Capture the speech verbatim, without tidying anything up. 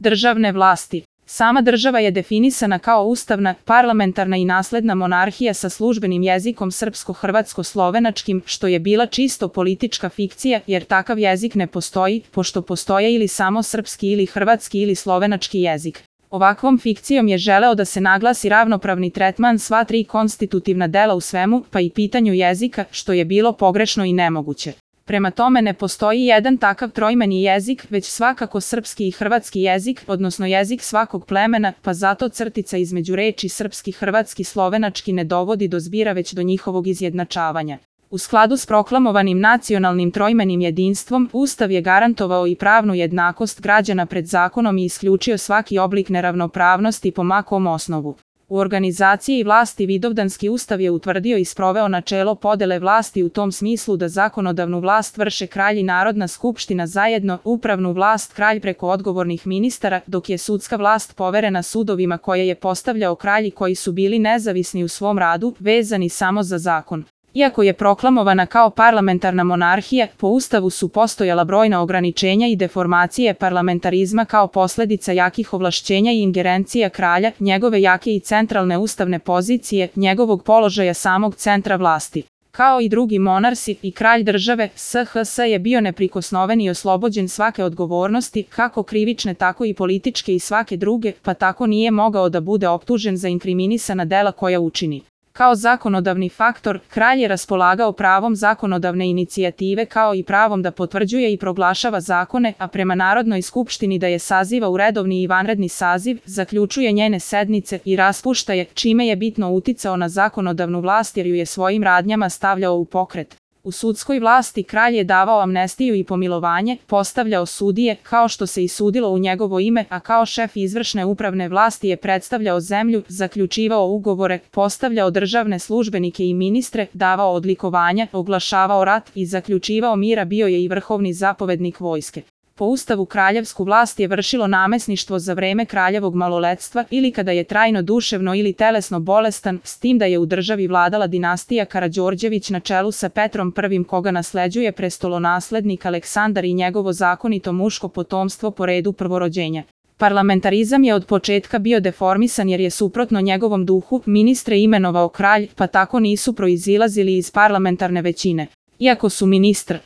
Državne vlasti. Sama država je definisana kao ustavna, parlamentarna i nasledna monarhija sa službenim jezikom srpsko-hrvatsko-slovenačkim, što je bila čisto politička fikcija jer takav jezik ne postoji, pošto postoje ili samo srpski ili hrvatski ili slovenački jezik. Ovakvom fikcijom je želeo da se naglasi ravnopravni tretman sva tri konstitutivna dela u svemu, pa i pitanju jezika, što je bilo pogrešno i nemoguće. Prema tome ne postoji jedan takav trojmeni jezik, već svakako srpski i hrvatski jezik, odnosno jezik svakog plemena, pa zato crtica između reči srpski, hrvatski, slovenački ne dovodi do zbira već do njihovog izjednačavanja. U skladu s proklamovanim nacionalnim trojmenim jedinstvom, Ustav je garantovao i pravnu jednakost građana pred zakonom i isključio svaki oblik neravnopravnosti po ma kom osnovu. U organizaciji vlasti Vidovdanski ustav je utvrdio i sproveo načelo podele vlasti u tom smislu da zakonodavnu vlast vrše kralj i Narodna skupština zajedno, upravnu vlast kralj preko odgovornih ministara, dok je sudska vlast poverena sudovima koje je postavljao kralj i koji su bili nezavisni u svom radu, vezani samo za zakon. Iako je proklamovana kao parlamentarna monarhija, po Ustavu su postojala brojna ograničenja i deformacije parlamentarizma kao posljedica jakih ovlašćenja i ingerencija kralja, njegove jake i centralne ustavne pozicije, njegovog položaja samog centra vlasti. Kao i drugi monarsi, i kralj države, S H S je bio neprikosnoven i oslobođen svake odgovornosti, kako krivične tako i političke i svake druge, pa tako nije mogao da bude optužen za inkriminisana dela koja učini. Kao zakonodavni faktor, kralj je raspolagao pravom zakonodavne inicijative kao i pravom da potvrđuje i proglašava zakone, a prema Narodnoj skupštini da je saziva u redovni i vanredni saziv, zaključuje njene sednice i raspušta je, čime je bitno uticao na zakonodavnu vlast jer ju je svojim radnjama stavljao u pokret. U sudskoj vlasti kralj je davao amnestiju i pomilovanje, postavljao sudije, kao što se i sudilo u njegovo ime, a kao šef izvršne upravne vlasti je predstavljao zemlju, zaključivao ugovore, postavljao državne službenike i ministre, davao odlikovanja, oglašavao rat i zaključivao mira, bio je i vrhovni zapovednik vojske. Po Ustavu kraljevsku vlast je vršilo namesništvo za vreme kraljevog maloletstva ili kada je trajno duševno ili telesno bolestan, s tim da je u državi vladala dinastija Karađorđević na čelu sa Petrom prvim koga nasleđuje prestolonaslednik Aleksandar i njegovo zakonito muško potomstvo po redu prvorođenja. Parlamentarizam je od početka bio deformisan jer je suprotno njegovom duhu ministre imenovao kralj, pa tako nisu proizilazili iz parlamentarne većine. Iako su ministr